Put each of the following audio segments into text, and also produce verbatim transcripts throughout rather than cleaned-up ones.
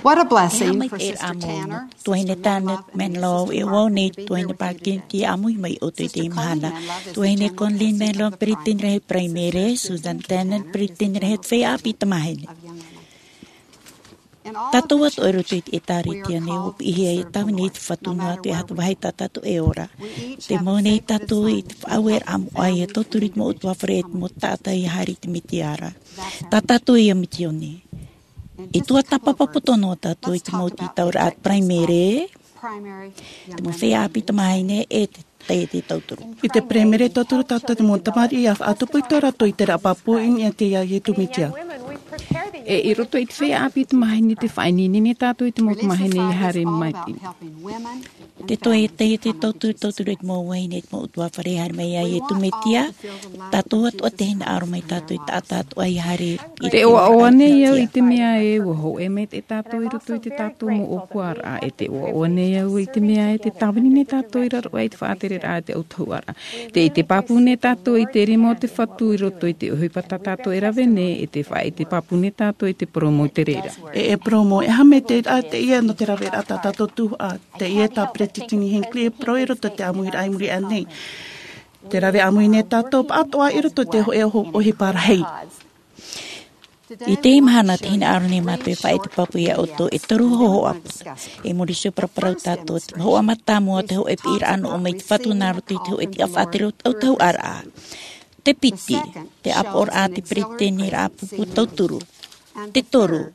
What a blessing for Sister Tanner, Sister Menlo, e ʻua ʻō nei te tuahine Parkin te ʻāmui mai ʻoutou i teie mahana. Tuahine Colleen Menlo, peretiteni rahi Paraimere, Susan Tanner, peretiteni rahi feiā ʻāpī tamāhine. Tātou atoʻa i roto i te ʻĒtārētia nei, ʻua piʻihia e tāvini i te Fatu noa atu e aha te vāhi tā tātou e ora. Tē mau nei tātou i te faʻaueraʻa moʻa ʻia tauturu i te mau ʻutuāfare e te mau taʻata ʻia haere i te Mesia ra. Tā tātou ia misiōni. E tuatāpapa poto noa tātou i te mau tītauraʻa Paraimere, te mau feiā ʻāpī tamāhine e te taiete tauturu. I te Paraimere tauturu tātou te mau tamariʻi ʻia faʻatupu i tō rātou ʻiteraʻa pāpū i niʻa i te Iesu Mesia. E i roto i te feiā ʻāpī tamāhine te faʻaineine nei tātou i te mau tamāhine ʻia haere mai. Te taiete tauturu, tauturu i te mau vahine, te mau ʻutuāfare haere mai iā Iesu Mesia. Tātou atoʻa te hinaʻaro mai tātou i taʻata atoʻa ʻia haere i te ʻoaʻoa nei au i te mea ē ʻua hōʻē maitaʻi tātou i roto i tō tātou mau ʻōpuaraʻa, e te ʻoaʻoa nei au i te mea ē tē tāvini nei tātou i raro aʻe i te faʻatereraʻa i te autahuʻaraʻa. Tē ʻite pāpū nei tātou i te rima o te Fatu i roto i te ʻohipa tā tātou e rave nei, e tē faʻaʻite pāpū nei tātou i te parau mau i te reira. E, e parau mau, e aha te mea terā teie nō te raveraʻa tā tātou tuhaʻa, teie tā Peretiteni Hinckley e parau i roto i te ʻāmuiraʻa i muri aʻe nei. Tē rave ʻāmui nei tātou pāʻatoʻa i roto i te hōʻē ʻohipa rahi. I teie mahana, tē hinaʻaro nei mātou e faʻaʻite pāpū iā ʻoutou e toru hōhoʻa. E muri iho, paraparau tātou, te hōhoʻa mātāmua, te hōʻē piʻiraʻa nō ʻō mai te Fatu nā roto i te hōʻē tiʻa faʻatere o te autahuʻaraʻa. Te piti, te ʻāpoʻoraʻa a te peretiteniraʻa pupu tauturu. Te toru,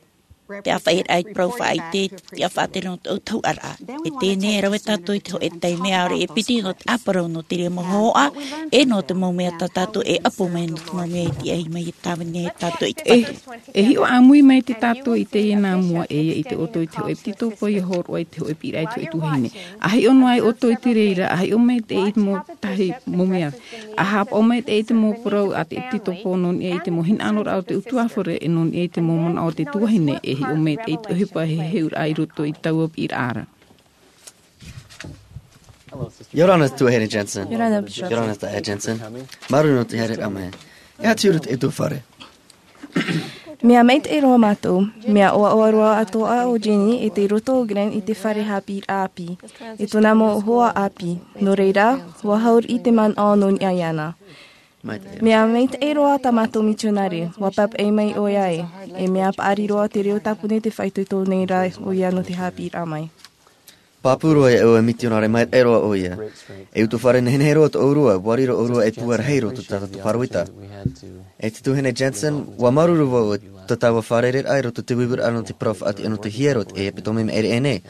te ʻāfaʻiraʻa i te parau faʻaʻite, te tiʻa faʻatere nō te autahuʻaraʻa. E teie nei e rave tātou i te hōʻē taime, ʻaore e piti, nō te ʻāparau nō te reira mau hōhoʻa, e nō te mau mea tā tātou e ʻapo mai, nō te mau mea e tiʻa mai e tāvini ai tātou i te Fatu. E hiʻo ʻāmui mai tātou i teie nā mua, e ʻia ʻite ʻoutou i te hōʻē piti tōpō ʻia hōroʻa i te hōʻē piʻiraʻa i te hōʻē tuahine. ʻA hiʻo noa ai ʻoutou i te reira, ʻa hiʻo maitaʻi i te mau tahi mau mea. ʻA haʻapaʻo maitaʻi i te mau parau a te ʻepitetopo nō niʻa i te mau hinaʻaroraʻa o te ʻutuāfare, e nō niʻa i te mau manaʻo o te tuahine, e hiʻo maitaʻi i te ʻohipa heheuraʻa i roto i taua piʻiraʻa ra. ʻIa ora na Tuahine Jensen. ʻIa ora na Bishop. ʻIa ora na Taeaʻe Jensen. Māuruuru nō te haereraʻa mai. E aha te huru o te ʻutuāfare? Mea maitaʻi roa mātou, mea ʻoaʻoa roa atoʻa ʻo Jenny e tei roto ʻo Glenn i te fare haʻapiʻiraʻa ʻāpī, e tōna mau hoa ʻāpī. Nō reira, ʻua haere i te manaʻo nō niʻa iāna. Mea maitaʻi roa tā mātou mitionare, ʻua pāpaʻi mai ʻoia e, e mea paʻari roa te reo tāpuni tē faʻaitoito nei ra ʻoia nō te haʻapiʻiraʻa mai. Pāpū roa iāʻu e mitionare maitaʻi roa ʻoia. E ʻutuāfare nehenehe roa tō ʻoe, ʻua riro ʻoe e puarahi i roto i tā tātou pāroita. E te Tuahine Jensen, ʻua māuruuru vau i tō tāua fārereiraʻa i roto i te vīvīraʻa nō te parau faʻatiʻa nō te hiero e ʻāpī tō mai maʻiri aʻe nei.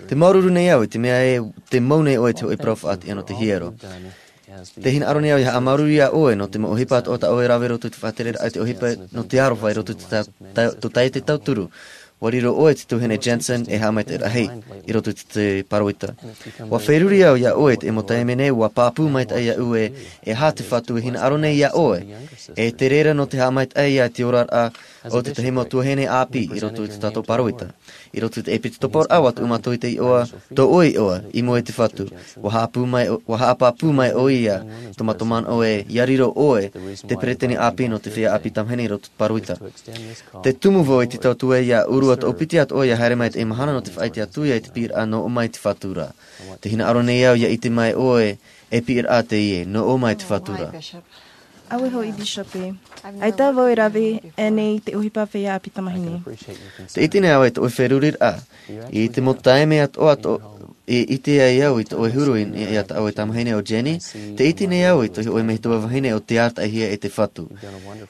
Tē māuruuru nei au i te mea ē tē mau nei ʻoe i te hōʻē parau faʻatiʻa nō te hiero. Tē hinaʻaro nei au ʻia haʻamāuruuru iā ʻoe nō te mau ʻohipa atoʻa tā ʻoe e rave i roto i te faʻatereraʻa i te ʻohipa nō te aroha i roto i tō tā-, tā-, tō taiete tauturu. ʻUa riro ʻoe e te Tuahine Jensen e haʻamaitaʻi rahi i roto i te, te pāroita. ʻUa feruri au iā ʻoe i te mau taime nei, ʻua pāpū maitaʻi iāʻu ē, e aha te Fatu e hinaʻaro nei iā ʻoe. E te reira nō te haʻamaitaʻi i te oraraʻa o te tahi mau tuahine ʻāpī i roto i tō tātou pāroita. I roto i te ʻepitetopo ra, ʻua tuʻu mātou i te iʻoa, tō ʻoe iʻoa, i mua i te Fatu. ʻUa haʻapāpū mai ʻo-, ʻua haʻapāpū mai ʻoia i tō mātou manaʻo ē, ʻia riro ʻoe te peretiteni ʻāpī nō te feiā ʻāpī tamāhine i roto i te pāroita. Tē tumu vau i te tautuʻa iā ʻōrua tōʻu piti atoʻa ʻia haere mai i teie mahana nō te faʻaʻite atu ia i te piʻiraʻa nō ʻō mai te Fatu ra. Tē hinaʻaro nei au ʻia ʻite mai ʻoe, e piʻiraʻa teie, nō ʻō mai te Fatu ra. ʻAuē hoʻi, Bishop ē. ʻAita vau e rave aʻe nei i te ʻohipa feiā ʻāpī tamāhine. Tē ʻite nei au i tō ʻoe feruriraʻa. I te mau taime atoʻa tō, i ʻite ai au i tō ʻoe huru i, i, iā tā ʻoe tamāhine ʻo Jenny. Tē ʻite nei au i tō ʻoe metua vahine ʻo tē arataʻihia e te Fatu.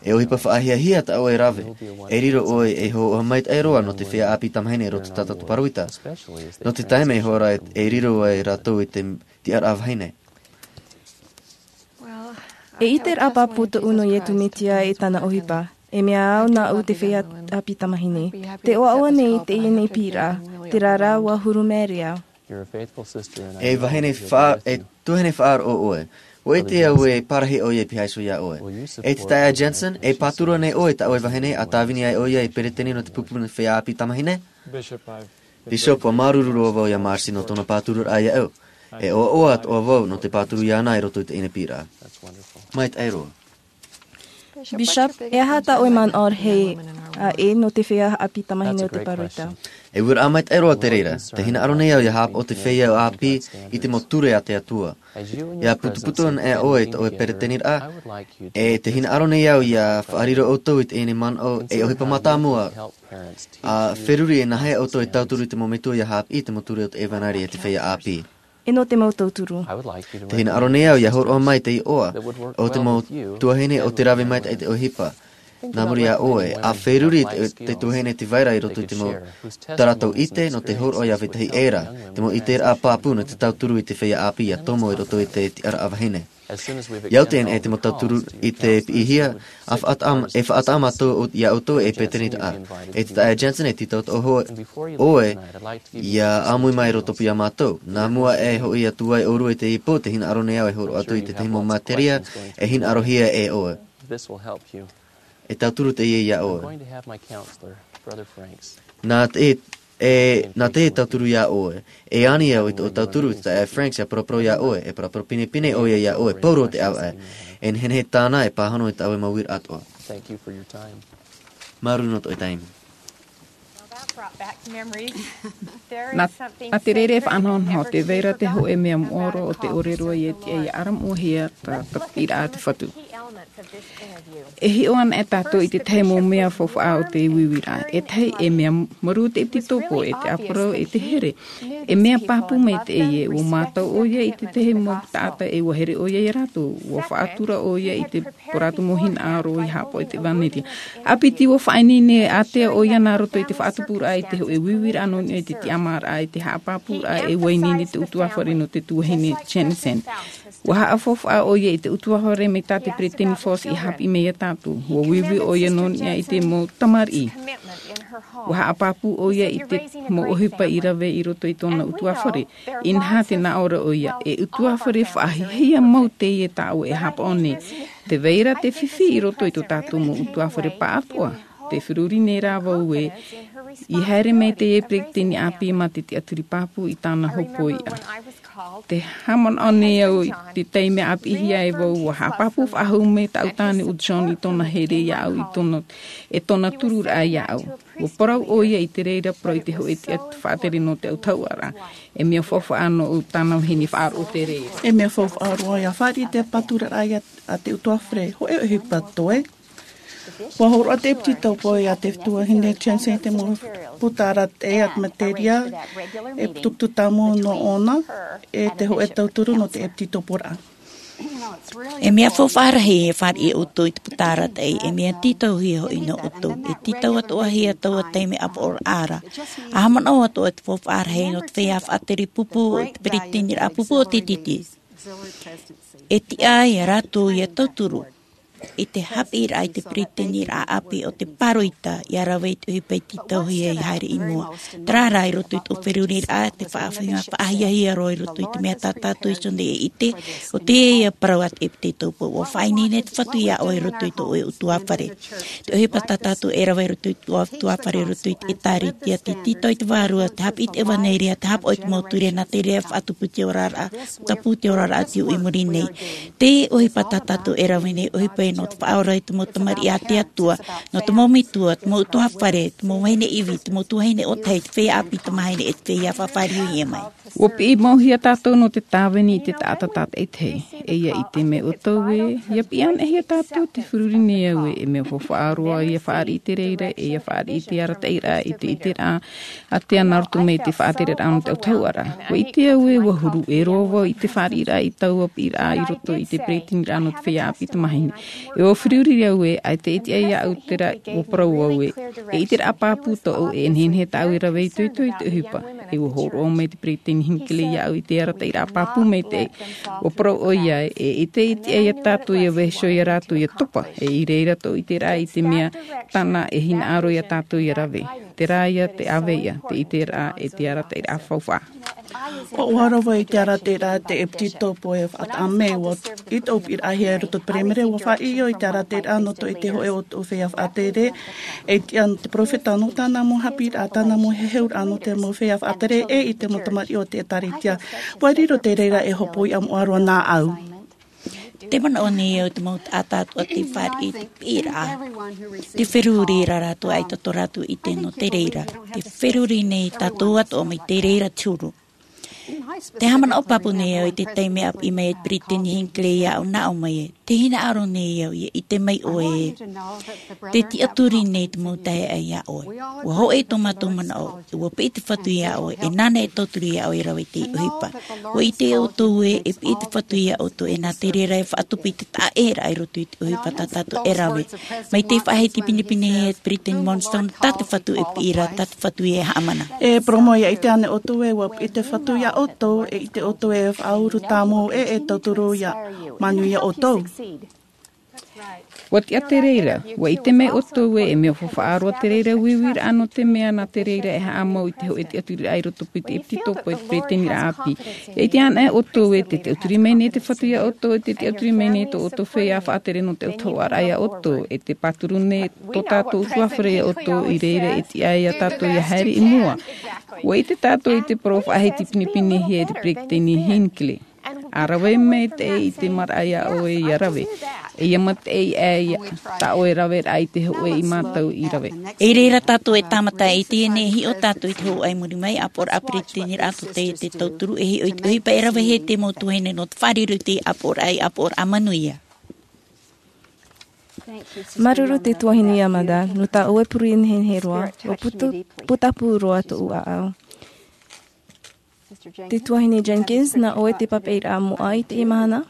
E ʻohipa faʻahiahia tā ʻoe e rave. E riro ʻoe ei hōhoʻa maitaʻi roa nō te feiā ʻāpī tamāhine i roto i tā tātou pāroita. Nō te taime ihora e, e riro ai rātou i te tiʻaraʻa vahine. E ʻiteraʻa pāpū tōʻu nō Iesu Mesia e tāna ʻohipa. E mea au nāʻu te feiā ʻāpī tamāhine. Tē ʻoaʻoa nei i teie nei piʻiraʻa, terā rā ʻua huru Maria. E vahine fa-, e tuahine faʻaroʻo ʻoe. ʻUa ʻite au e pārahi ʻoia e pihaʻi iho iā ʻoe. E te taeaʻe Jensen, e pāturu nei ʻoe i tā ʻoe vahine, ʻa tāvini ai ʻoia ei peretiteni nō te pupu nō te feiā ʻāpī tamāhine? Bishop, ʻua māuruuru roa vau iā Marcy nō tōna pātururaʻa iāʻu. E ʻoaʻoa atoʻa vau nō te pāturu iāna i roto i teie nei piʻiraʻa. Maitaʻi roa. Bishop, e aha tā ʻoe manaʻo rahi, ā, e nō te feiā ʻāpī tamāhine o te pāroita? E uiraʻa maitaʻi roa te reira. Tē hinaʻaro nei au ʻia haʻapaʻo te feiā ʻāpī i te mau ture a te Atua. ʻIa putuputu ana ʻoe i tō ʻoe peretiteniraʻa, e tē hinaʻaro nei au ʻia faʻariro ʻoutou i teie nei manaʻo ei ʻohipa mātāmua, ʻa feruri e nāhea ʻoutou e tauturu i te mau metua ʻia haʻapiʻi i te mau ture o te ʻevanelia e te feiā ʻāpī. E nō te mau tauturu. Tē hinaʻaro nei au ʻia hōroʻa mai te iʻoa o te mau tuahine ʻo tē rave maitaʻi i te ʻohipa. Nā muri iā ʻoe, ʻa feruri te, te tuahine tē vai ra i roto i te mau tā rātou ʻite nō te hōroʻa ʻia vetahi ʻē ra, te mau ʻiteraʻa pāpū nō te tauturu i te feiā ʻāpī ʻia tomo i roto i te tiʻaraʻa vahine. ʻIa oti anaʻe te mau tauturu i te piʻihia, ʻa faʻataʻa, e faʻataʻa mātou o, iā ʻoutou ei peretiteniraʻa. E te taeaʻe Jensen, e tītau atoʻa hoʻi ʻoe ʻia ʻāmui mai i roto pū iā mātou. Nā mua e hoʻi atu ai ʻōrua i teie pō, tē hinaʻaro nei au e hōroʻa atu i te tahi mau materia e hinaʻarohia e ʻoe. E tauturu teie iā ʻoe. Nā te, e, nā te tauturu iā ʻoe. E ani au i tō tauturu i te taeaʻe Franks ʻia paraparau iā ʻoe, e parapara pinepine ʻoia iā ʻoe, pauroa te ʻāvaʻe. E nehenehe tāna e pāhono i tā ʻoe mau uiraʻa atoʻa. Māuruuru nō tō ʻoe taime. Nā, nā te reira e faʻanahonaho, tē vai ra te hōʻē mea moʻa roa ʻo tē ʻore roa ʻia tiʻa ʻia ʻaramoʻohia tā, tā te piʻiraʻa a te Fatu. E hiʻo anaʻe tātou i te tahi mau mea faufaʻa o te uiuiraʻa. E tahi, e mea marū te ʻepitetopo, e te ʻāparau, e te here. E mea pāpū maitaʻi ē, ʻua mātau ʻoia i te tahi mau taʻata e ʻua here ʻoia iā rātou, ʻua faʻatura ʻoia i te, tō rātou mau hinaʻaro ʻia haʻapaʻo i te ʻevanelia. ʻA piti ʻua faʻaineine ātea ʻoia nā roto i te faʻatupuraʻa i te hōʻē uiuiraʻa nō niʻa i te tiʻamāraʻa, i te haʻapāpūraʻa e ʻua ineine te ʻutuāfare nō te tuahine Jensen. ʻUa haʻafaufaʻa ʻoia i te ʻutuāfare mai tā te peretiteni Faust ʻia haʻapiʻi mai iā tātou. ʻUa uiui ʻoia nō niʻa i te mau tamariʻi. ʻUa haʻapāpū ʻoia i te mau ʻohipa i rave i roto i tōna ʻutuāfare. Inaha tē nā ʻō ra ʻoia, e ʻutuāfare faʻahiahia mau teie tā ʻoe e haʻapaʻo nei. Tē vai ra te fifi i roto i tō tātou mau ʻutuāfare pāʻatoʻa. Tē feruri nei rā vau ē, ʻia haere mai teie peretiteni ʻāpī mā te tiʻaturi pāpū i tāna hopoiʻa. Tē haʻamanaʻo nei au i te taime a piʻihia ai vau, ʻua haʻapāpū faʻahou mai tāʻu tāne ʻo John i tōna here iāʻu, i tōna, e tōna tururaʻa iāʻu. ʻUa parau ʻoia i te reira parau i te hōʻē tiʻa faʻatere nō te autahuʻaraʻa. E mea faufaʻa nō ʻu tāna vahine faʻaroʻo te reira. E mea faufaʻa roa ʻia fāriʻi i te pāturaʻa iā, a te ʻutuāfare, hōʻē ʻohipa toe. ʻUa hōroʻa te ʻepitetopo iā te tuahine Jensen i te mau puta arataʻi a te materia, e putuputu tāmau nō ʻōna, e te hōʻē tauturu nō te ʻepitetoporaʻa. E mea faufaʻa rahi e fāriʻi ʻoutou i te puta arataʻi, e mea tītauhia hoʻi nō ʻoutou, e tītau atoʻahia taua taime ʻāpoʻoraʻa ra. ʻA haʻamanaʻo atoʻa te faufaʻa rahi nō te feiā faʻatere pupu, te peretiteniraʻa pupu o te tītī. E tiʻa ai rātou ʻia tauturu i te haʻapiʻiraʻa i te peretiteniraʻa ʻāpī o te pāroita ʻia rave i te ʻohipa i tītauhia ʻia haere i mua. Terā rā i roto i tō feruriraʻa, te faʻahiahia, faʻahiahia roa i roto i te mea tā tātou i ʻō nei e ʻite, ʻo teie parau a te ʻepitetopo, ʻua faʻaineine te Fatu iā ʻoe i roto i tō ʻoe ʻutuāfare. Te ʻohipa tā tātou e rave i roto i tō ʻoe ʻutuāfare, i roto i te ʻĒtārētia, te tītau i te Vārua, te haʻapiʻi i te ʻevanelia, te haʻapaʻo i te mau ture, nā te reira e faʻatupuhia ʻoe oraraʻa, tāpū te oraraʻa te ui i muri nei. Te ʻohipa tā tātou e rave nei, ʻohipa nō te faʻaora i te mau tamariʻi a te Atua, nō te mau metua, te mau ʻutuāfare, te mau vahine ivi, te mau tuahine ʻōtahi, te feiā ʻāpī tamāhine, e te feiā faʻafāriuhia mai. ʻUa piʻi mau hia tātou nō te tāvini i te taʻata tātaʻitahi. E ʻia ʻite mai ʻoutou ē, ʻia piʻi anaʻe hia tātou, tē feruri nei au ē, e mea faufaʻa roa ʻia fāriʻi i te reira, e ʻia fāriʻi i te arataʻiraʻa, i te ʻiteraʻa, ātea nā roto mai i te faʻatereraʻa nō te autahuʻaraʻa. ʻUa ʻite au ē, ʻua huru ʻē roa vau i te fāriʻiraʻa i taua piʻiraʻa i roto i te peretiteniraʻa nō te feiā ʻāpī tamāhine. E ʻua feruri au ē, ʻaita e tiʻa iāʻu terā, ʻua parau au ē, e ʻiteraʻa pāpū tōʻu, e nehenehe tāʻu e rave itoito i te ʻohipa. E ʻua hōroʻa mai te peretiteni Hinckley iāʻu i te arataʻiraʻa pāpū maitaʻi. ʻUa parau ʻoia ē, e ʻaita e tiʻa iā tātou ʻia vaiiho iā rātou ʻia topa, e i reira tō ʻiteraʻa i te mea tāna e hinaʻaro iā tātou ʻia rave. Terā ia te ʻāvaʻe, te ʻiteraʻa, e te arataʻiraʻa faufaʻa. ʻUa ʻoaʻoa vau i te arataʻiraʻa a te ʻepitetopo e faʻataʻa mai, ʻua, i tōʻu piʻiraʻahia i roto i te Paraimere, ʻua faʻaʻī au i te arataʻiraʻa nō tō ʻoe, te hōʻē o tō feiā faʻatere, e tiʻa nō te perofeta, nō tāna mau haʻapiʻiraʻa, tāna mau heheuraʻa nō te mau feiā faʻatere, e i te mau tamariʻi o te ʻĒtārētia. ʻUa riro te reira ei hopoiʻa moʻa roa nāʻu. Te manaʻo nei au te mau taʻata atoʻa tei fāriʻi i te piʻiraʻa. Te feruri ra rātou ʻaita tō rātou ʻite nō te reira. Te feruri nei tātou atoʻa mai te reira te huru. Te haʻamanaʻo pāpū nei au i te taime a piʻi mai e te peretiteni Hinckley iāʻu nā ʻō mai ē, te hinaʻaro nei au ʻia ʻite mai ʻoe ē, te tiʻaturi nei te mau taeaʻe iā ʻoe. Ua hōʻē tō mātou manaʻo, ua piʻi te Fatu iā ʻoe, e nāna e tauturu iā ʻoe e rave i te ʻohipa. Ua ʻite ʻoutou ē, e piʻi te Fatu iā ʻoutou, e nā te reira e faʻatupu i te taʻaʻēraʻa i roto i te ʻohipa tā tātou e rave. Mai te faʻahiti pinepine e te peretiteni Monson, tā te Fatu e piʻi ra, tā te Fatu e haʻamana. E parau mau, ʻia ʻite ānei ʻoutou ē, ua piʻi te Fatu iā ʻoutou, e ʻite ʻoutou ē, e faʻauru tāmau ē, e tauturu iā, manuia ʻoutou. Ua tiʻa te reira, ua ʻite mai ʻoutou ē, e mea faufaʻa roa te reira uiuiraʻa nō te mea nā te reira e haʻamau i te hōʻē tiʻaturiraʻa i roto i te ʻepitetopo e te peretiteniraʻa ʻāpī. E ʻite ānei ʻoutou ē, tē tiʻaturi mai nei te Fatu iā ʻoutou, tē tiʻaturi mai nei tō ʻoutou feiā faʻatere nō te ʻoto hoʻoraʻa iā ʻoutou, e tē pāturu nei tō tātou ʻutuāfare iā ʻoutou, i reira e tiʻa ai iā tātou ʻia haere i mua. Ua ʻite tātou i te parau faʻahiti pinepinehia e te peretiteni Hinckley. ʻA rave maitaʻi i te maraʻa iā ʻoe ʻia rave. E ʻia maitaʻi aʻe tā ʻoe raveraʻa i te hōʻē i mātou i rave. I reira tātou e tāmata i teie nei, e hiʻo tātou i te hōʻē i muri mai, ʻāpoʻoraʻa peretiteniraʻa tō te, te tauturu, e hiʻo i te ʻohipa e ravehia e te mau tuahine nō te fārerei i te ʻāpoʻoraʻa, i ʻāpoʻoraʻa manuia. Māuruuru te tuahine Yamada, nō tā ʻoe pure nehenehe roa, ua puta, putapū roa tōʻu ʻāʻau. Te tuahine Jenkins, nā ʻoe te papaʻiraʻa moʻa i teie mahana?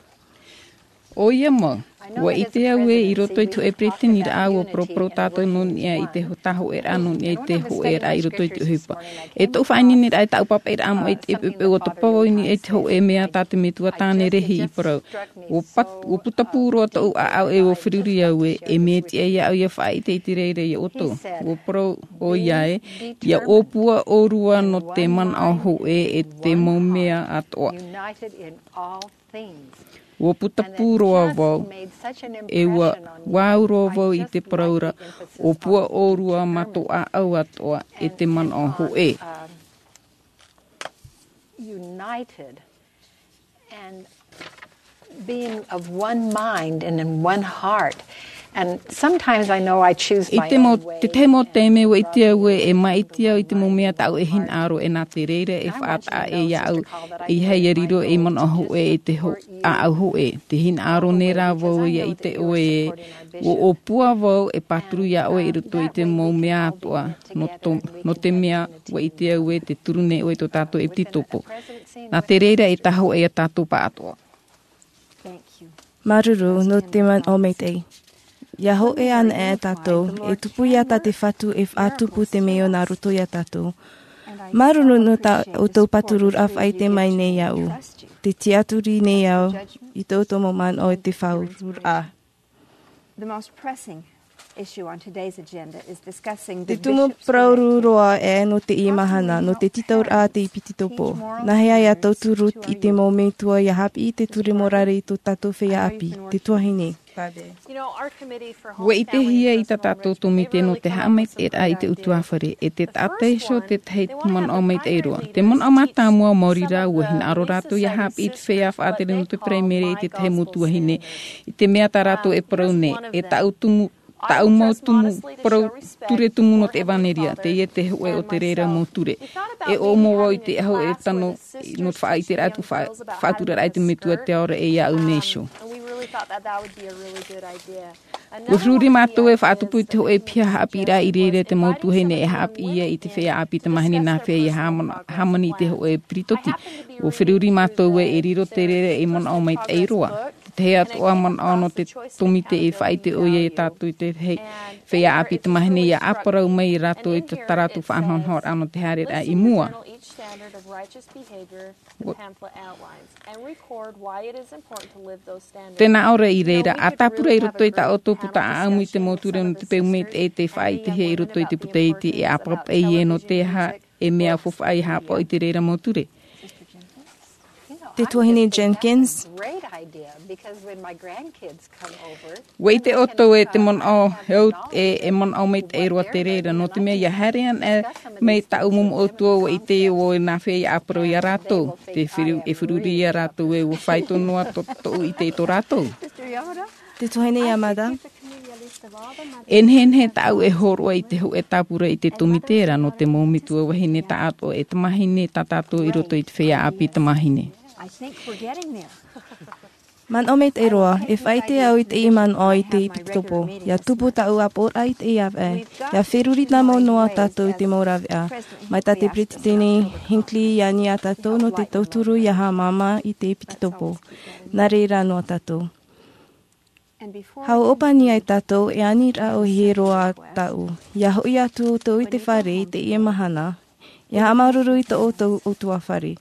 ʻOia mau, ua ʻite au ē, i roto i te hōʻē peretiteniraʻa, ua paraparau tātou nō niʻa i te ho-, tāhōʻēraʻa nō niʻa i te hōʻēraʻa i roto i te ʻohipa. E tōʻu faʻaineineraʻa, e tāʻu papaʻiraʻa moʻa i te ʻepoʻepo, ua topa vau i niʻa i te hōʻē mea tā te metua tāne Rehi i parau. Ua pat-, ua putapū roa tōʻu ʻāʻau ē, ua feruri au ē, e mea tiʻa iāʻu ʻia faʻaʻite i te reira iā ʻoutou. Ua parau ʻoia ē, ʻia ʻōpua ʻōrua nō te manaʻo hōʻē e te mau mea atoʻa. Ua putapū roa vau, e ua, ua au roa vau i te parau ra, ʻōpua ʻōrua mā tō ʻāʻau atoʻa e te manaʻo hōʻē. United and being of one mind and in one heart. And sometimes I know I choose my own way. I te mau, te tahi mau taime ua ʻite au ē, e maʻiti au i te mau mea tāʻu e hinaʻaro, e nā te reira e faʻataʻa ē iāʻu, ʻeiaha ʻia riro ei manaʻo hōʻē e te hō-, ʻāʻau hōʻē. Tē hinaʻaro nei rā vau ʻia ʻite ʻoe ē, ua ʻōpua vau e pāturu iā ʻoe i roto i te mau mea atoʻa, nō tō, nō te mea ua ʻite au ē, tē turu nei ʻoe i tō tātou ʻepitetopo. Nā te reira e tāhōʻē ia tātou pāʻatoʻa. Māuruuru nō te manaʻo maitaʻi. ʻIa hōʻē anaʻe tātou, e tupu ia tā te Fatu e faʻatupu te mea nā roto ia tātou. Māuruuru nō tā ʻoutou pātururaʻa faʻaʻite mai nei iāʻu. Tē tiʻaturi nei au i tō ʻoutou mau manaʻo e te faʻaururaʻa. The most pressing issue on today's agenda is discussing the bishop's directive. Te tumu parau roa ē nō teie mahana, nō te tītauraʻa a te ʻepitetopo. Nāhea ʻia tauturu i te mau metua ʻia haʻapiʻi i te ture morare i tō tātou feiā ʻāpī, te tuahine. Ua ʻitehia i tā tātou tōmite nō te haʻamaitaʻiraʻa i te ʻutuāfare, e te taʻata iho te tahi manaʻo maitaʻi roa. Te manaʻo mātāmua, maori rā, ua hinaʻaro rātou ʻia haʻapiʻi i te feiā faʻatere nō te paraimere e te tahi mau tuahine, i te mea tā rātou e parau nei, e tāʻu tumu, tāʻu mau tumu parau ture tumu nō te ʻevanelia, teie te hōʻē o te reira mau ture. E ʻō mau vau i te aho e tano, nō te faʻaʻiteraʻa atu, faʻa-, faʻaturaraʻa i te Metua te Ao ra e iāʻu nei iho. Ua feruri mātou e faʻatupu i te hōʻē piha haʻapiʻiraʻa i reira te mau tuahine e haʻapiʻi ia i te feiā ʻāpī tamāhine nāhea ʻia hāmani, hāmani i te hōʻē peritoti. Ua feruri mātou ē e riro te reira ei manaʻo maitaʻi roa. Te tahi atoʻa manaʻo nō te tōmite e faʻaʻite ʻoia ia tātou i te feiā ʻāpī tamāhine ʻia ʻāparau mai ia rātou i tā rātou faʻanahonahoraʻa nō te haereraʻa i mua. Tē nā ʻō ra i reira, ʻa tāpura i roto i tā ʻoutou puta ʻāʻamu i te mau ture nō te peu maitaʻi tē faʻaʻitehia i roto i te puta iti e ʻāpapa ʻē nō te aha e mea faufaʻa ʻia haʻapaʻo i te reira mau ture. Te tuahine Jenkins. Ua ʻite ʻoutou e te manaʻo, e au, e, e manaʻo maitaʻi roa te reira, nō te mea ʻia haere ana mai tāʻu momo ʻoutou, ua ʻite ʻoe nā hea ʻia ʻāparau ia rātou. Te firu-, e feruri ia rātou ē, ua faito noa tō, tōʻu ʻite i tō rātou. Te tuahine Yamada. E nehenehe tāʻu e hōroʻa i te hōʻē tāpura i te tōmite ra nō te mau metua vahine taʻatoʻa e tamāhine tā tātou i roto i te feiā ʻāpī tamāhine. Manaʻo maitaʻi roa, e faʻaʻite au i teie manaʻo i te ʻepitopo. ʻIa tupu tāʻu ʻāpoʻoraʻa i teie ʻāvaʻe. ʻIa feruri tāmau noa tātou i te mau rāveʻa. Mai tā te Peretiteni Hinckley i ani ia tātou nō te tauturu ʻia haʻamāmā i te ʻepitopo. Nā reira noa tātou. Hau ʻōpani ai tātou e aniraʻa ʻohie roa tāʻu. ʻIa hoʻi atu ʻoutou i te fare i teie mahana. ʻIa haʻamāuruuru i tō ʻoutou ʻutuāfare.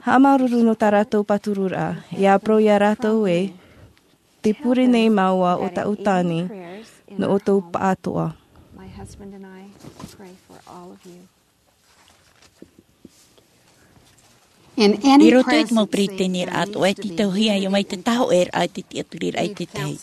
Haʻamāuruuru nō tā rātou pātururaʻa. ʻIa ʻāparau ia rātou ē, tē pure nei māua ʻo tāʻu tāne, nō ʻoutou pāʻatoʻa. I roto i te mau peretiteniraʻa atoʻa e tītauhia ʻia vai te tāhōʻēraʻa i te tiʻaturiraʻa i te tahi.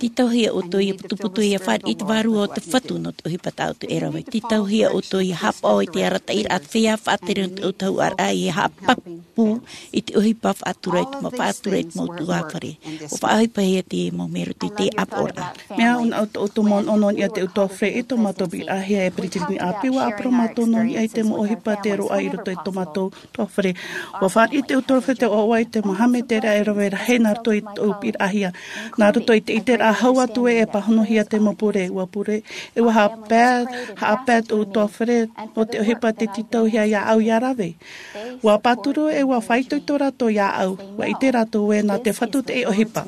Tītauhia ʻoutou ʻia putuputu ʻia fāriʻi i te vārua o te Fatu nō te ʻohipa tā ʻoutou e rave. Tītauhia ʻoutou ʻia haʻapaʻo i te arataʻiraʻa te feiā faʻatere nō te ʻautahuʻaraʻa ʻia haʻapāpū i te ʻohipa faʻatura i te mau, faʻatura i te mau ʻutuāfare. ʻUa faʻaʻohipahia te mau mea i roto i te ʻāpoʻoraʻa. Mea ʻōna ʻoutou, ʻoutou manaʻo nō niʻa i te ʻutuāfare i tō mātou piʻiraʻahia e peretiteni ʻāpī, ʻua ʻāparau mātou nō niʻa i te mau ʻohipa tē roaʻa i roto i tō mātou ʻutuāfare. ʻUa fāriʻi te ʻutuāfare te ʻoaʻoa i te mau haʻametereʻa e rave rahi nā roto i tōʻu piʻiraʻahia. Nā roto i te ʻiteraʻa hau atu ē e pāhonohia te mau pure, ʻua pure, e ʻua haʻapae, haʻapae tōʻu ʻutuāfare nō te ʻohipa tē tītauhia iāʻu ʻia rave. ʻUa pāturu e ʻua faʻaitoito rātou iāʻu, ʻua ʻite rātou ē nā te Fatu te ʻohipa.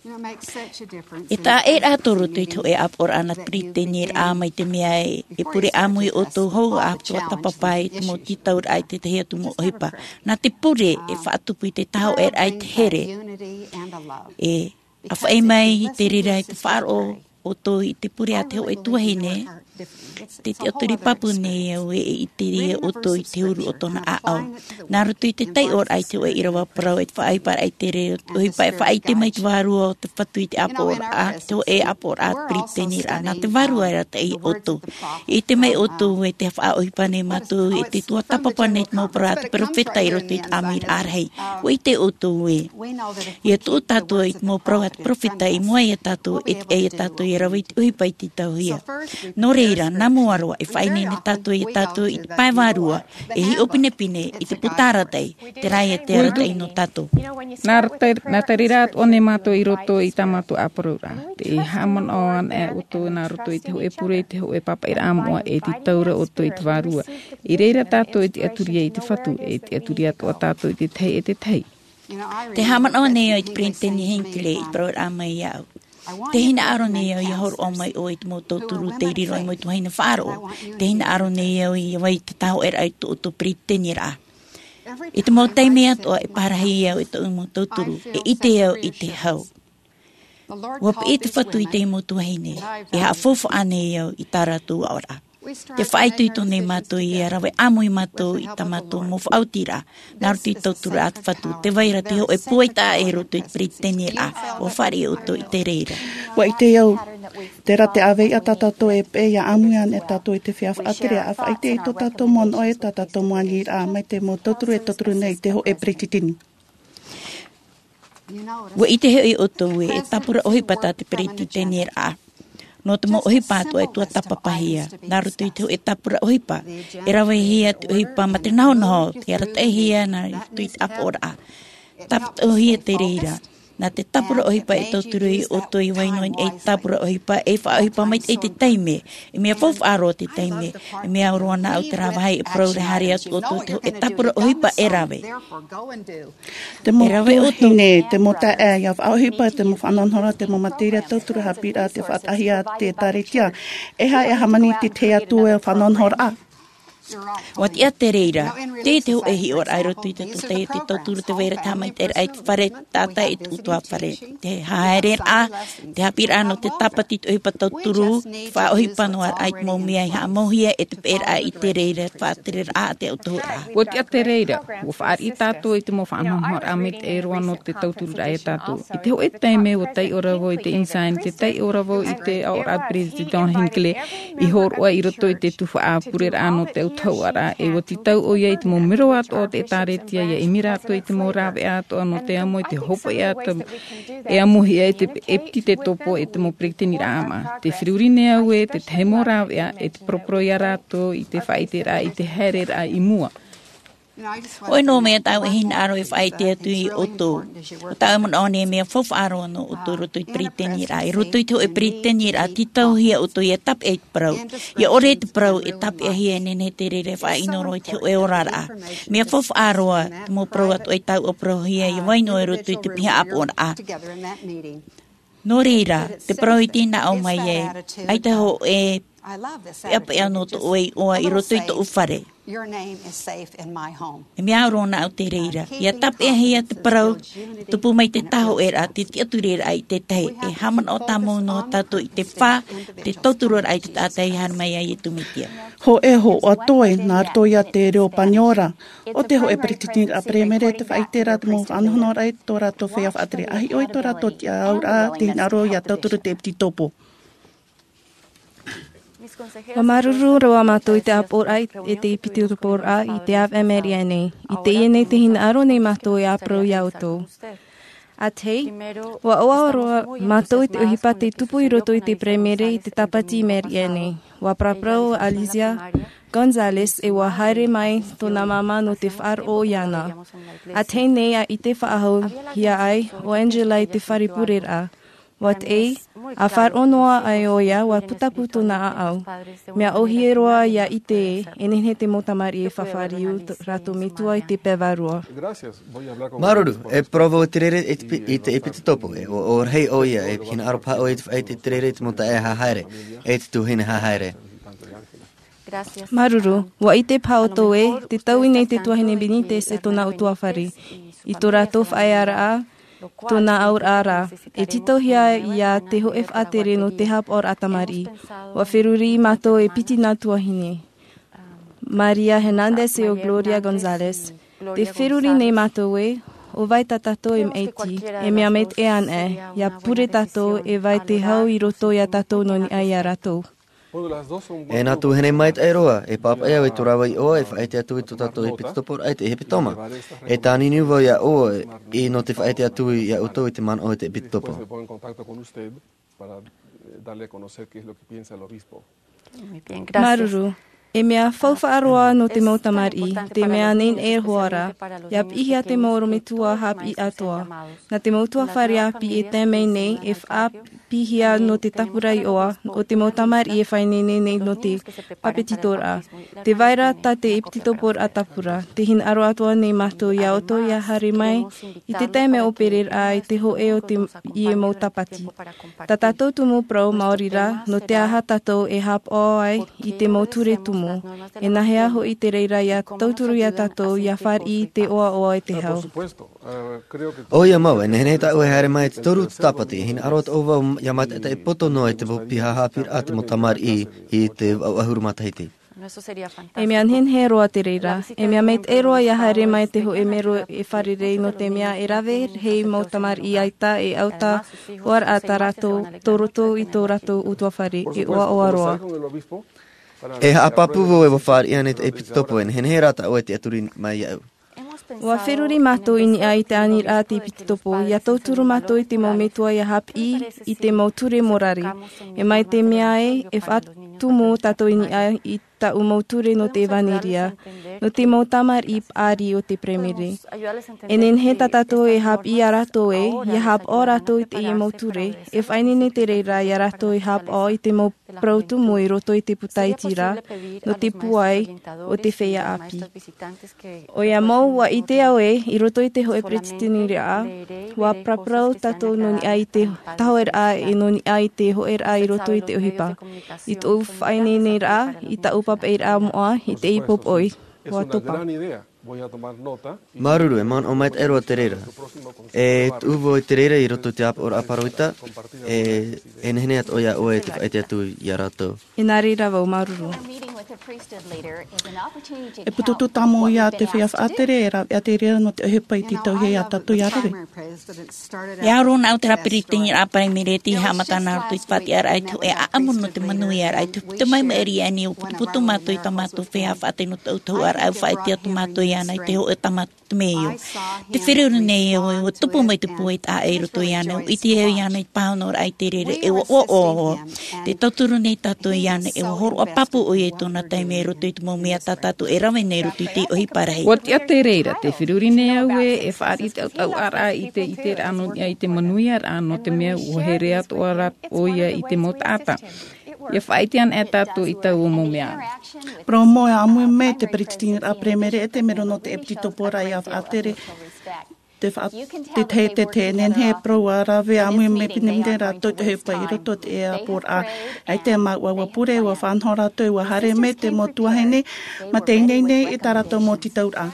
E taʻa ʻē rātou i roto i te hōʻē ʻāpoʻoraʻa nā te peretiteniraʻa mai te mea e, e pure ʻāmui ʻoutou hou ʻa te tuatāpapa i te mau tītauraʻa i te tahi atu mau ʻohipa. Nā te pure e faʻatupu i te tāhōʻēraʻa i te here. E ʻāfaʻi mai i te reira i te faʻaroʻo ʻoutou i te pure a te hōʻē tuahine, te tiʻaturi pāpū nei au e, e ʻite ʻoutou i te huru o tōna ʻāʻau. Nā roto i te taiʻoraʻa i te hōʻē ʻīrava parau e te faʻaʻohiparaʻa i te reira, ʻohipa e faʻaʻite mai te vārua o te Fatu i te ʻāpoʻoraʻa, te hōʻē ʻāpoʻoraʻa peretiteniraʻa, nā te vārua e arataʻi iā ʻoutou. E ʻite mai ʻoutou ē tē faʻaʻohipa nei mātou, e tē tuatāpapa nei te mau parau a te peropheta i roto i te ʻāmuiraʻa rahi. ʻUa ʻite ʻoutou ē, ʻia tuʻu tātou i te mau parau a te peropheta i mua iā tātou, e, e iā tātou ʻia rave i te ʻohipa i tītauhia. Nō reira, nā mua roa, e faʻaineine tātou iā tātou i te pae vārua, e hiʻo pinepine i te puta arataʻi, terā ia te arataʻi nō tātou. Nā te, nā te reira atoʻa nei mātou i roto i tā mātou ʻāparauraʻa. Tē haʻamanaʻo ana ʻoutou nā roto i te hōʻē pure, i te hōʻē pāpaʻiraʻa moʻa, e tītau ra ʻoutou i te vārua. I reira tātou e tiʻaturi ai i te Fatu, e tiʻaturi atoʻa tātou i te tahi e te tahi. Tē haʻamanaʻo nei au i te peretiteni Hinckley i te parauraʻa mai iāʻu. Tē hinaʻaro nei au ʻia hōroʻa mai ʻoe i te mau tauturu tei riro i te mau tuahine faʻaroʻo. Tē hinaʻaro nei au ʻia vai te tāhōʻēraʻa i tō ʻoutou peretiteniraʻa. I te mau taime atoʻa e parahi au i tōʻu mau tauturu, e ʻite au i te hau. ʻUa piʻi te Fatu i te mau tuahine, e haʻafaufaʻa nei au i tā rātou aʻoraʻa. Tē faʻaitoito nei mātou ʻia rave ʻāmui mātou i tā mātou mau faʻaotiraʻa, nā roto i te tauturu a te Fatu, tē vai ra te hōʻē pūai taʻa ʻē i roto i te peretiteniraʻa, ʻua fāriʻi ʻoutou i te reira. ʻUa ʻite au, terā te ʻāvaʻe tā tātou e peʻe ʻia ʻāmui ana e tātou i te feiā faʻatere, ʻa faʻaʻite i tō tātou manaʻo e tā tātou mau aniraʻa mai te mau tauturu e tauturu nei i te hōʻē peretiteni. ʻUa ʻite hoʻi ʻoutou ē, e tāpura ʻohipa tā te peretiteniraʻa. Nō te mau ʻohipa atoʻa e tuatāpapahia. Nā roto i te hōʻē tāpura ʻohipa, e ravehia te ʻohipa mā te nahonaho, tē arataʻihia nā roto i te ʻāpoʻoraʻa. Tāputaʻuhia te reira. Nā te tāpura ʻohipa e tauturu iā ʻoutou ʻia vai noa i te tāpura ʻohipa, e faʻaʻohipa maitaʻi te taime. E mea faufaʻa roa te taime, e mea au roa nāʻu terā vāhi e parau ra haere atu ʻoutou i te hōʻē tāpura ʻohipa e rave. Te mau tuahine, te mau taeaʻe, ʻia faʻaʻohipa, te mau faʻanahonahoraʻa, te mau materia tauturu, haʻapiʻiraʻa, te faʻataʻahia, te ʻĒtārētia. E aha ʻia hāmani i te tahi atu e faʻanahonahoraʻa? Ua tiʻa te reira, te te hoʻe hiʻoraʻa i roto i te tōtaiete tauturu te vaira te haʻamaitaʻiraʻa i te fare, tātaʻi i te utuafare. Te haereraʻa, te haʻapiʻiraʻa nō te tāpati i te ʻohipa tauturu, te faʻaʻohipa noa raʻa i te mau mea i haʻamauhia e te peʻeraʻa i te reira, faʻatereraʻa a te autahuʻaraʻa. Ua tiʻa te reira, ua fāriʻi tātou i te mau faʻanahonahoraʻa maitaʻi roa nō te tauturu raʻa ia tātou. I te hoʻe taime ua taiʻo ra vau i te Ensign, te taiʻo ra vau i te aʻoraʻa a Peretiteni Hinckley, i hōroʻa i roto i te tuhaʻa pureraʻa nō te autahuʻaraʻa, e ua tītau ʻoia i te mau mero atoʻa o te ʻĒtārētia, ia ʻimi rātou i te mau rāveʻa atoʻa nō te amo i te hopoiʻa atu, e amohia e te ʻEpitetopo e te mau peretiteniraʻa ʻāmaʻa. Te feruri nei au ē, te tahi mau rāveʻa, e te poroporo ia rātou i te faʻaʻiteraʻa, i te haereraʻa i mua. ʻOia nō mea tāʻu e hinaʻaro e faʻaʻite atu ia ʻoutou. ʻO tāʻu e manaʻo nei mea faufaʻa roa nō ʻoutou i roto i te peretiteniraʻa. I roto i te hoʻe peretiteniraʻa, tītauhia ʻoutou ia tāpeʻa i te parau. Ia ʻore te parau e tāpeʻahia e nehenehe te reira e faʻaʻino roa i te hoʻe oraraʻa. Mea faufaʻa roa, te mau parau atoʻa i tāʻu e parauhia, ia vai noa i roto i te piha ʻāpoʻoraʻa. Nō reira, te parau i te hinaʻaro mai ai, ʻaita hoʻe peʻapeʻa nō tō ʻoe iʻoa i roto i tōʻu fare. E mea au roa nāʻu te reira. Ia tāpeʻahia te parau, tupu mai te tāhoʻeraʻa, te tiʻaturiraʻa i te tahi. E haʻamanaʻo tāmau noa tātou i te fā, te tauturuaraʻa i te taʻata i haere mai ia Iesu Mesia. Hōʻē hoʻi atoʻa, nā roto ia te reo Paniora, ʻo te hoʻe peretiteniraʻa, peremere, te faʻaʻiteraʻa, te mau faʻanahonahoraʻa i tō rātou feiā faʻatere, ʻa hiʻo i tō rātou tiʻauraʻa, te hinaʻaro ia tauturu te ʻEpitetopo. Ua māuruuru roa mātou i te ʻāpoʻoraʻa e te ʻEpitetoporaʻa i te ʻāvaʻe Meria nei. I teie nei te hinaʻaro nei mātou e ʻāparau ia ʻoutou. ʻA tahi, ua ʻoaʻoa roa mātou i te ʻohipa tei tupu i roto i te peremere i te tāpati Meria nei. Ua paraparau ʻo Alicia Gonzalez e ua haere mai tōna māmā nō te faʻaroʻo iāna. ʻA tahi nei ʻa ʻite faʻahou hia ai ʻo Angela i te fare pureraʻa. Ua teie, ʻa faʻaroʻo noa ai ʻoia, ua putapū tōna ʻāʻau. Mea ʻōhie roa ia ʻite ē, e nehenehe te mau tamariʻi e fafariu tō rātou metua i te pae vārua. Māuruuru, e parau vau i te reira i te pi-, i te ʻEpitetopo, e ʻo, ʻo rahi ʻoia, e hinaʻaro paha ʻoe i te faʻaʻite i te reira i te mau taeaʻe haʻahaere, e te tuahine haʻahaere. Māuruuru, ua ʻite paha ʻoutou ē, tē taui nei te tuahine Benitez e tōna ʻutuāfare. I tō rātou faʻaearaʻa, tōna auraʻa ra, e tītauhia ia te hoʻe faʻatere nō te haʻapaʻoraʻa tamariʻi. Ua feruri mātou e piti nā tuahine. Maria Hernandez e ʻo Gloria Gonzalez. Tē feruri nei mātou ē, ʻo vai tā tātou e maʻiti, e mea maitaʻi anaʻe, ia pure tātou e vai te hau i roto ia tātou nō niʻa ia rātou. E nā tuahine maitaʻi roa, e pāpaʻi au i tō rāua iʻoa, e faʻaʻite atu i tō tātou ʻEpitetoporaʻa i te ʻEpitoma. E tāniniu vau ia ʻoe, i nō te faʻaʻite atu ia ʻoutou i te manaʻo i te ʻEpitetopo. Māuruuru. E mea faufaʻa roa nō te mau tamariʻi, te mea nehenehe hoʻi ra, ia piʻihia te mau ʻorometua haʻapiʻi atoʻa. Nā te mau ʻutuāfare ʻāpī e tae mai nei, e faʻapiʻihia nō te tāpura iʻoa, ʻo te mau tamariʻi e faʻaineine nei nō te pāpetitoraʻa. Tē vai ra tā te ʻEpitetoporaʻa tāpura, tē hinaʻaro atoʻa nei mātou ia ʻoutou ia haere mai, i te taime ʻōpereraʻa i te hōʻē o teie mau tāpati. Tā tātou tumu parau maori rā, nō te aha tātou e haʻapaʻo ai i te mau ture tumu, e nāhea hoʻi te reira ia tauturu ia tātou ia fāriʻi i te ʻoaʻoa e te hau. ʻOia mau, e nehenehe tāʻu e haere mai i te toru o te tāpati, e hinaʻaro atoʻa vau ia mātaʻitaʻi poto noa i te mau piha haʻapiʻiraʻa a te mau tamariʻi i te vaʻu ʻahuru matahiti. E mea nehenehe roa te reira, e mea maitaʻi roa ia haere mai te hōʻē mero e fārerei nō te mea e rave rahi mau tamariʻi ʻaita e ʻauta hoʻi ra tā rātou, tō roto i tō rātou ʻutuāfare, e ʻoaʻoa roa. E haʻapāpū vau ē ua fāriʻi ānei te ʻEpitetopo, e nehenehe rā tāʻu e tiʻaturi mai iāʻu. Ua feruri mātou i niʻa i te aniraʻa a te ʻEpitetopo, ia tauturu mātou i te mau metua ia haʻapiʻi i te mau ture morare. E mai te mea ē, e faʻatumu tātou i niʻa i tāʻu mau ture nō te ʻevanelia, nō te mau tamariʻi paʻari o te peremere. E nehenehe tā tātou e haʻapiʻi ia rātou ē, ia haʻapaʻo rātou i teie mau ture, e faʻaineine te reira ia rātou e haʻapaʻo i te mau parau tumu i roto i te puta iti ra, nō te pūai o te feiā ʻāpī. ʻOia mau, ua ʻite au ē, i roto i te hōʻē peretiteniraʻa, ua paraparau tātou nō niʻa i te tāhoʻeraʻa e nō niʻa i te hōʻēraʻa i roto i te ʻohipa. I tōʻu faʻaineineraʻa, i tāʻu papaʻiraʻa moʻa i te ʻīpoʻoi. Ua topa. Māuruuru, e manaʻo maitaʻi roa te reira. E tuʻu vau i te reira i roto i te ʻāpoʻoraʻa parau-ita, e, e nehenehe atoʻa iā ʻoe te faʻaʻite atu iā rātou. E nā reira vau, māuruuru. E pututu tāmau ia te feiā faʻatere, e rāveʻa te reira nō te ʻohipa i tītauhia iā tātou ia rave. E aro nā ʻu te rā peretiteniraʻa paraimere tei haʻamata nā roto i te faʻatiʻaraʻa i te hōʻē ʻaʻamu nō te manuiaraʻa i te, te mau maʻiri ʻānei ʻua putuputu mātou i tā mātou feiā faʻatere nō te ʻautahuʻaraʻa, ʻua faʻaʻite atu mātou iāna i te hōʻē tāmata te mea io. Te feruri nei au e ʻua tupu mai te pūai taʻa i roto iāna, ʻua ʻite au iāna i te pāhonoraʻa i te reira e ʻua ʻoaʻoa. Tē tauturu nei tātou iāna e ʻua hōroʻa pāpū ʻoia i tōna taime i roto i te mau mea tā tātou e rave nei i roto i te ʻohipa rahi. ʻUa tiʻa te reira, tē feruri nei au ē, e fāriʻi te ʻautahuʻaraʻa i te, i te ʻiteraʻa nō niʻa i te manuiaraʻa, nō te mea ʻua here atoʻa rā ʻoia i te mau taʻata. ʻIa faʻaʻite ana e tātou i taua mau mea. Parau mau e ʻāmui mai te peretiteniraʻa paraimere e te mero nō te ʻepititoporaʻa ia faʻatere. Te faʻa-, te, te, te, te nehenehe e parau ʻua rave ʻāmui mai pinepine rātou te ʻohipa i roto i te ʻāpoʻoraʻa. ʻAita e māuʻa ʻua pure, ʻua faʻanaho rātou, ʻua haere mai te mau tuahine, mā te ineine i tā rātou mau tītauraʻa.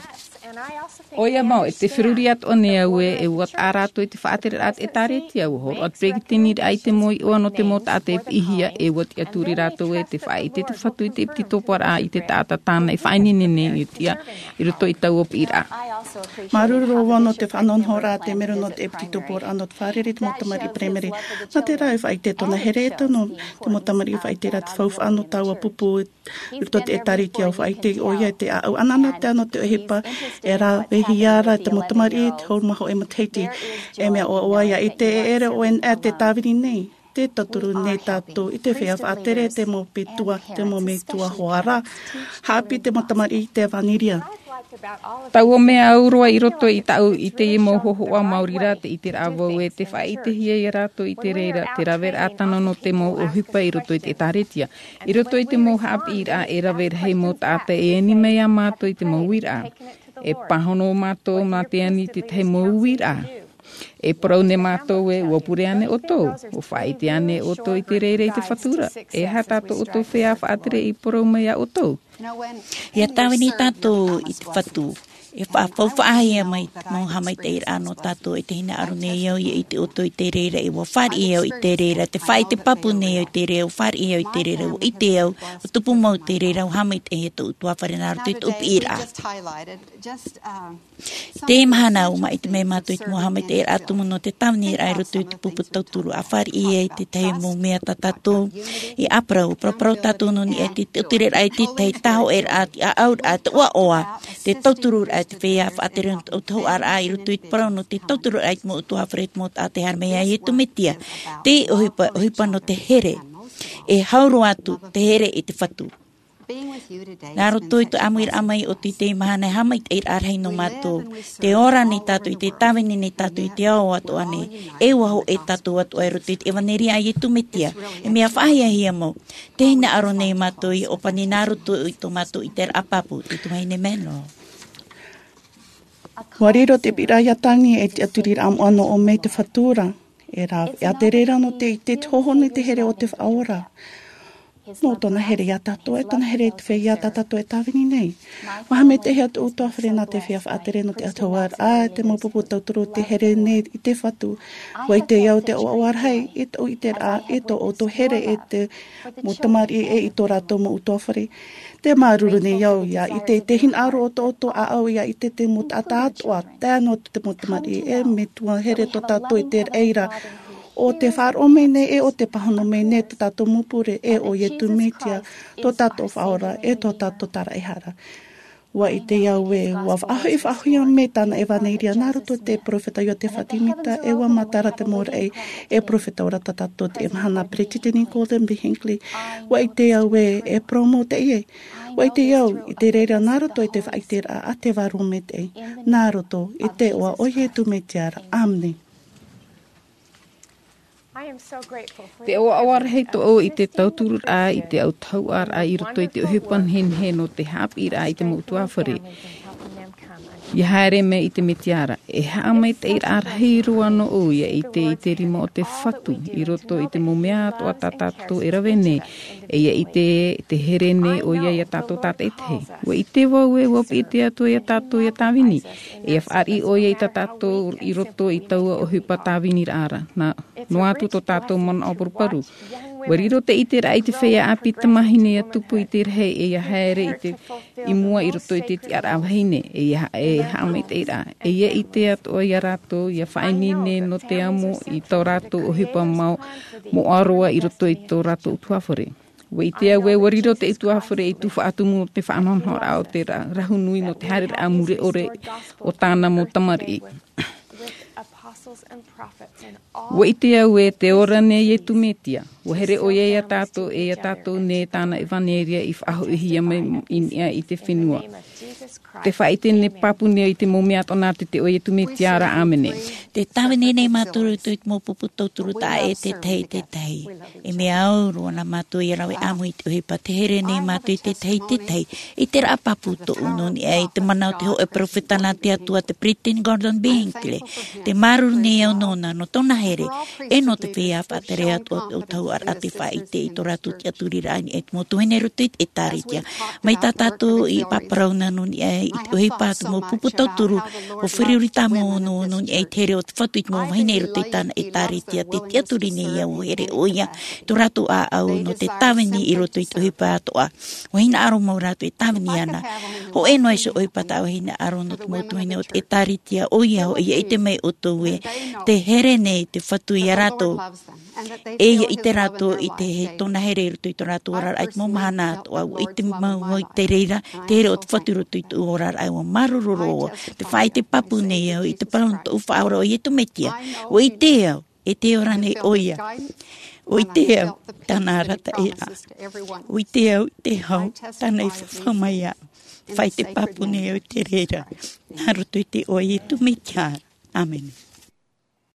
ʻOia mau, e tē feruri atoʻa nei au ē, e ʻua taʻa rātou i te faʻatereraʻa te ʻĒtārētia, ʻua hōroʻa te peretiteniraʻa i te mau iʻoa nō te mau taʻata e piʻihia, e ʻua tiʻaturi rātou ē, tē faʻaʻite te Fatu i te ʻepititoporaʻa i te taʻata tāna e faʻaineine nei i tiʻa i roto i taua piʻiraʻa. Māuruuru roa vau nō te faʻanahonahoraʻa a te mero nō te ʻepititoporaʻa nō te fārerei i te mau tamariʻi paraimere. Nā te reira e faʻaʻite tōna here e tano te mau tamariʻi faʻaʻite ra te faufaʻa nō taua pupu i roto i te ʻĒtārētia, ʻua faʻaʻite ʻoia i te ʻāʻau anaanatae nō te ʻohipa e ravehia ra te mau tamariʻi i te hau mā hōʻē matahiti. E mea ʻoaʻoa ia ʻite e ʻere ʻoe e te tāvini nei. Tē tauturu nei tātou i te feiā faʻatere, te mau metua, te mau metua hoara. Haʻapiʻi te mau tamariʻi i te ʻevaneria. Taua mea au roa i roto i tāʻu i teie mau hōhoʻa maori rā te ʻiteraʻa vau ē, tē faʻaʻitehia ia rātou i te reira te raveraʻa tano nō te mau ʻohipa i roto i te ʻĒtārētia. I roto i te mau haʻapiʻiraʻa e rave rahi mau taʻata e ani mai ia mātou i te mau uiraʻa. E pāhono mātou nā te ani i te tahi mau uiraʻa. E parau nei mātou ē, ʻua pure ānei ʻoutou? ʻUa faʻaʻite ānei ʻoutou i te reira i te Fatu ra? E aha tā tō ʻoutou feiā faʻatere i parau mai ia ʻoutou? ʻIa tāvini tātou i te Fatu, e faʻafaufaʻahia mai te mau haʻamaitaʻiraʻa nō tātou, e tē hinaʻaro nei au ʻia ʻite ʻoutou i te reira, e ʻua fāriʻi au i te reira, tē faʻaʻite pāpū nei au i te reira, ʻua fāriʻi au i te reira, ʻua ʻite au, ʻua tupu mau i te reira, ʻua haʻamaitaʻihia tōʻu ʻutuāfare nā roto i tōʻu piʻiraʻa. Teie mahana ʻua māʻiti mai mātou i te mau haʻamaitaʻiraʻa tumu nō te tāviniraʻa i roto i te pupu tauturu, ʻa fāriʻi ai te tahi mau mea tā tātou i ʻāparau, paraparau tātou nō niʻa i te ʻotireraʻa i te tahi tāhōʻēraʻa, te ʻāʻauraʻa, te ʻoaʻoa, te tautururaʻa i te feiā faʻatere nō te ʻautahuʻaraʻa i roto i te parau nō te tautururaʻa i te mau ʻutuāfare, te mau taʻata e haere mai iā Iesu Mesia. Te ʻohipa, ʻohipa nō te here. E hau roa atu te here i te Fatu. Nā roto i tō ʻāmuiraʻa mai ʻoutou i teie mahana, e haʻamaitaʻiraʻa rahi nō mātou. Tē ora nei tātou, tē tāvini nei tātou i te ao atoʻa nei. E ʻua hōʻē tātou atoʻa i roto i te ʻevaneria a Iesu Mesia. E mea faʻahiahia mau. Tē hinaʻaro nei mātou ʻia ʻōpani nā roto i tō mātou ʻiteraʻa pāpū, te tuahine Menlo. ʻUa riro te piʻiraʻa iā Tani e te tiʻaturiraʻa moʻa nō ʻō mai te Fatu ra. E rā, e te reira nō te, te hōhonu i te here o te Faʻaora. Nō tōna here iā tātou, e tōna here i te feiā tā tātou e tāvini nei. ʻUa haʻamaitaʻihia tōʻu ʻutuāfare nā te feiā faʻatere nō te ʻautahuʻaraʻa, te mau pupu tauturu, te here nei i te Fatu. ʻUa ʻite au te ʻoaʻoa rahi i tōʻu ʻiteraʻa, i tō ʻoutou here, e te mau tamariʻi, e i tō rātou mau ʻutuāfare. Te māuruuru nei au ʻia ʻite i te hinaʻaro o tō ʻoutou ʻāʻau, ʻia ʻite te mau taʻata atoʻa, tae noa atu te mau tamariʻi, e metua here tō tātou i te reira. ʻO te faʻaroʻo mai nei, e ʻo te pāhono mai nei tō tātou mau pure, e ʻo Iesu Mesia, tō tātou Faʻaora, e tō tātou Taraehara. ʻUa ʻite au ē, ʻua faʻahoʻi, faʻahoʻihia mai tāna ʻevaneria nā roto i te peropheta Iotefa Semita, e ʻua matara te mau raʻi, e peropheta ora tā tātou i teie mahana, Peretiteni Gordon B. Hinckley. ʻUa ʻite au ē, e parau mau teie. ʻUa ʻite au, i te reira nā roto i te faʻaʻiteraʻa a te Vārua Maitaʻi, nā roto i te iʻoa o Iesu Mesia ra. ʻĀmene. Te ʻoaʻoa rahi tōʻu i te tautururaʻa, i te ʻautahuʻaraʻa i roto i te ʻohipa nehenehe nō te haʻapiʻiraʻa i te mau ʻutuāfare. Ia haere mai i te Mesia ra, e haʻamaitaʻiraʻa rahi roa nō ʻoe ia ʻite i te rima o te Fatu, i roto i te mau mea atoʻa tā tātou e rave nei, e ia ʻite te here nei ʻoia ia tātou tātaʻitahi. ʻUa ʻite vau ē ʻua piʻi te Atua ia tātou ia tāvini, e ia fāriʻi ʻoia i tā tātou i roto i taua ʻohipa tāviniraʻa ra. Nā, noa atu tō tātou manaʻo paruparu. ʻUa riro te ʻiteraʻa i te feiā ʻāpī tamāhine ia tupu i te rahi e ia haere i te, i mua i roto i te tiʻaraʻa vahine, e ia, e haʻamaitaʻiraʻa. E ia ʻite atoʻa ia rātou, ia faʻaineine nō te amo i tō rātou ʻohipa mau, moʻa roa i roto i tō rātou ʻutuāfare. ʻUa ʻite au ē ʻua riro te ʻutuāfare i tuhaʻa tumu nō te faʻanahonahoraʻa o te ra-, rahu nui nō te haereraʻa mure ʻore o tāna mau tamariʻi. ʻUa ʻite au ē te ora nei Iesu Mesia, ʻua here ʻoia ia tātou e ia tātou nei tāna ʻevaneria i faʻahoʻihia mai i niʻa i te fenua. Te faʻaʻite nei pāpū nei i te mau mea atoʻa nā te, te ʻo Iesu Mesia ra, ʻāmene. Tē tāvini nei mātou i roto i te mau pupu tauturu taʻa ʻē tētahi i tētahi. E mea au roa nā mātou ia rave ʻāmui i te ʻohipa, tē here nei mātou i tētahi i tētahi. I te raʻa pāpū tōʻu nō niʻa i te mana o te hōʻē peropheta nā te Atua, te Peresideni Gordon B. Hinckley. Tē māuruuru nei au nōna, nō tōna here, e nō te feiā faʻatere atoʻa o te ʻautahuʻaraʻa tei faʻaʻite i tō rātou tiʻaturiraʻa i niʻa i te mau tuahine i roto i te ʻĒtārētia. Mai tā tātou i pāparauna nō niʻa i te ʻohipa, te mau pupu tauturu, ʻua feruri tāmau nō, nō niʻa i te here o te Fatu i te mau vahine i roto i tāna ʻĒtārētia, tē tiʻaturi nei au ʻua here ʻoia, tō rātou ʻāʻau nō te tāvini i roto i te ʻohipa atoʻa. ʻUa hinaʻaro mau rātou e tāvini ana. Hōʻē noa iho ʻohipa tā ʻoe hinaʻaro nō te mau tuahine o te ʻĒtārētia, ʻoia hoʻi, ia ʻite mai ʻoutou ē, tē here nei te Fatu ia rātou. E ia ʻite rātou i te, e tōna here i roto i tō rātou oraraʻa i te mau mahana atoʻa, ʻua ʻite mau vau i te reira, te here o te Fatu i roto i tōʻu oraraʻa, ʻua māuruuru roa. Tē faʻaʻite pāpū nei au i te parau nō tōʻu Faʻaora ʻo Iesu Mesia. ʻUa ʻite au, e tē ora nei ʻoia. ʻUa ʻite au tāna arataʻiraʻa. ʻUa ʻite au i te hau tāna i fafau mai iāʻu. Faʻaʻite pāpū nei au i te reira, nā roto i te iʻoa o Iesu Mesia. ʻĀmene.